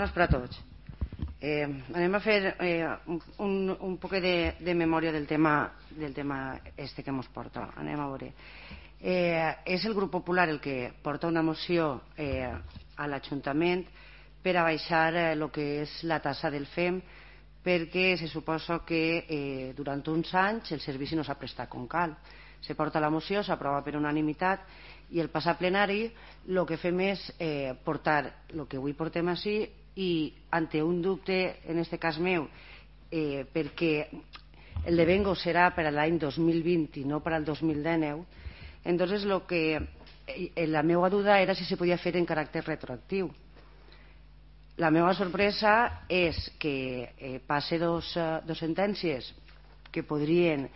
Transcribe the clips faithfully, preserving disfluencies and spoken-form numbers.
Buenas per a tots. Eh, anem a fer eh, un, un poc de, de memòria del tema, del tema este que ens porta. Anem a veure. Eh, és el grup popular el que porta una moció eh, a l'Ajuntament per a baixar el eh, que és la tassa del F E M, perquè se suposa que eh, durant uns anys el servici no s'ha prestat com cal. Se porta la moció, s'aprova per unanimitat i el passat plenari el que fem és eh, portar el que avui portem així i ante un dubte, en este cas meu, eh, perquè el de Vengo serà per a l'any dos mil vint i no per al dos mil dinou, entonces lo que eh, la meva duda era si se podia fer en caràcter retroactiu. La meva sorpresa és que eh, passe dos, uh, dos sentències que podrien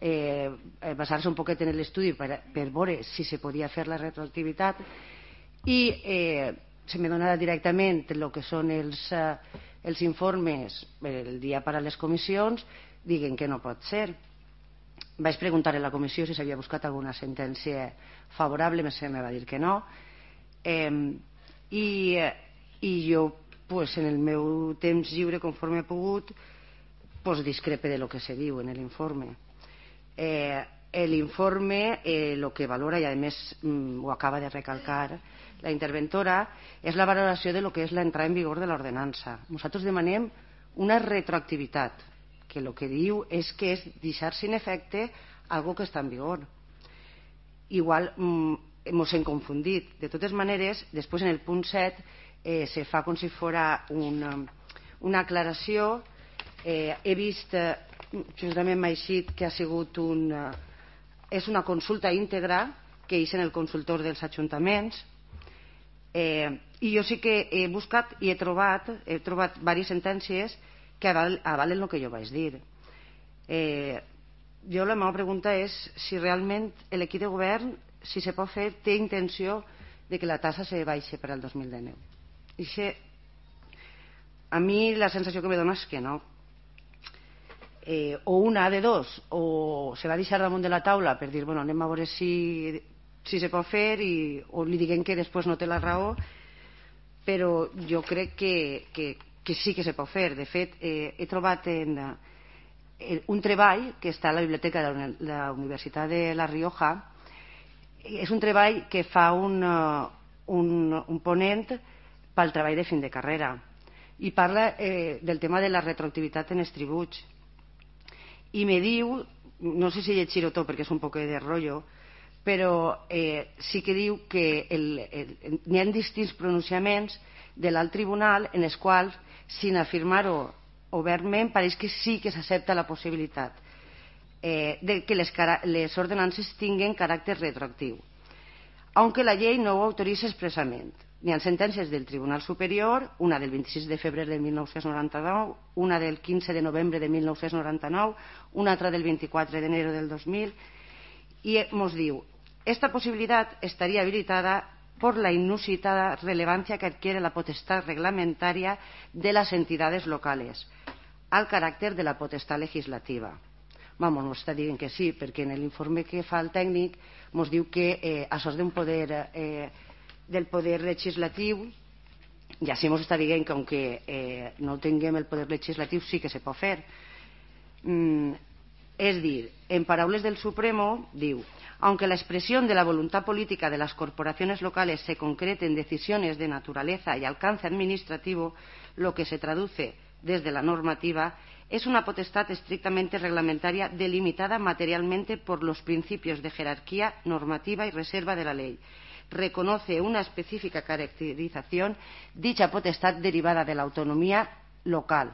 eh, basar-se un poquet en l'estudi per, per veure si se podia fer la retroactivitat i eh, se me dona directament el que són els, uh, els informes el dia per a les comissions, diguen que no pot ser. Vaig preguntar a la comissió si s'havia buscat alguna sentència favorable, se me va dir que no. Eh, i, I jo, pues, en el meu temps lliure, conforme he pogut, pues, discrepe de lo que se diu en l'informe. Eh, l'informe, eh, lo que valora, i a més mm, ho acaba de recalcar la interventora, és la valoració de lo que és l'entrada en vigor de l'ordenança. Nosaltres demanem una retroactivitat, que el que diu és que és deixar sin efecte algo que està en vigor. Igual mm, ens hem confundit. De totes maneres, després en el punt set eh, se fa com si fora una, una aclaració. Eh, he vist, eh, justament m'ha eixit que ha sigut una, és una consulta íntegra que és en el consultor dels ajuntaments. Eh, i jo sí que he buscat i he trobat he trobat diverses sentències que avalen el que jo vaig dir. Eh, jo la meva pregunta és si realment l'equip de govern, si se pot fer, té intenció de que la tassa se baixi per al dos mil dinou. I això, a mi la sensació que me dona és que no. Eh, o una de dos, o se va deixar damunt de la taula per dir, bueno, anem a veure si si se pot fer i, o li diguem que després no té la raó, però jo crec que, que, que sí que se pot fer. De fet, eh, he trobat en, en un treball que està a la biblioteca de la Universitat de La Rioja. És un treball que fa un, un, un ponent pel treball de fin de carrera i parla eh, del tema de la retroactivitat en els tributs. I me diu, no sé si llegir-ho tot perquè és un poc de rotllo, però eh, sí que diu que n'hi ha distints pronunciaments de l'alt tribunal en els quals, sin afirmar-ho obertament, pareix que sí que s'accepta la possibilitat eh, de que les, les ordenances tinguen caràcter retroactiu, aunque la llei no ho autoritza expressament. N'hi ha sentències del Tribunal Superior, una del vint-i-sis de febrer de mil nou-cents noranta-nou, una del quinze de novembre de mil nou-cents noranta-nou, una altra del vint-i-quatre d'enero del dos mil, i ens diu: esta posibilidad estaría habilitada por la inusitada relevancia que adquiere la potestad reglamentaria de las entidades locales al carácter de la potestad legislativa. Vamos, nos està dient que sí, perquè en l'informe que fa el tècnic ens diu que eh, això és d'un poder, eh, del poder legislatiu, i així ens està dient que aunque eh, no tinguem el poder legislatiu sí que se pot fer. Mm, és dir, en paraules del Supremo, diu: aunque la expresión de la voluntad política de las corporaciones locales se concrete en decisiones de naturaleza y alcance administrativo, lo que se traduce desde la normativa es una potestad estrictamente reglamentaria delimitada materialmente por los principios de jerarquía normativa y reserva de la ley. Reconoce una específica caracterización dicha potestad derivada de la autonomía local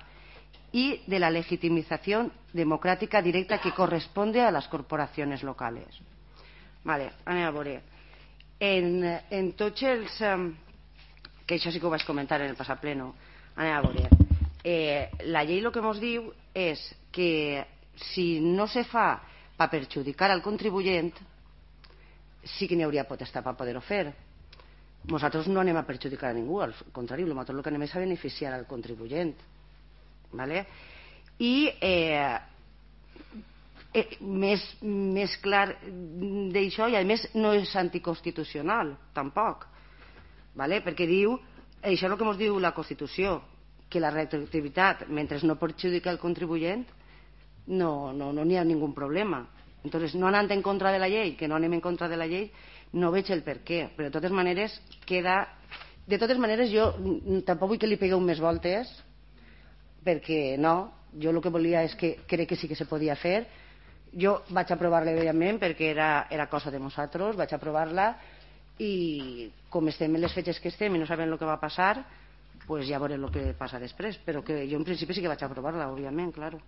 y de la legitimización democrática directa que corresponde a las corporaciones locales. Vale, anem a veure. En, en tots els... Um, que això sí que ho vaig comentar en el passat pleno. Anem a veure. Eh, la llei el que ens diu és que si no se fa per perjudicar al contribuent, sí que n'hi hauria potestat per poder-ho fer. Nosaltres no anem a perjudicar a ningú, al contrari, nosaltres el que anem és a beneficiar al contribuent. Vale? I eh, eh, més, més clar d'això, i a més no és anticonstitucional tampoc, vale? Perquè diu això és el que ens diu la Constitució, que la retroactivitat, mentre no perjudica el contribuent, no n'hi no, no ha ningú problema. Entonces, no anant en contra de la llei, que no anem en contra de la llei, no veig el per què. Però de totes maneres, queda... De totes maneres, jo tampoc vull que li pegueu més voltes, perquè no, jo el que volia és que crec que sí que se podia fer. Jo vaig aprovar-la, evidentment, perquè era, era cosa de nosaltres, vaig aprovar-la, i com estem en les fetges que estem i no sabem el que va passar, pues ja veurem el que passa després. Però que jo en principi sí que vaig aprovar-la, òbviament, claro.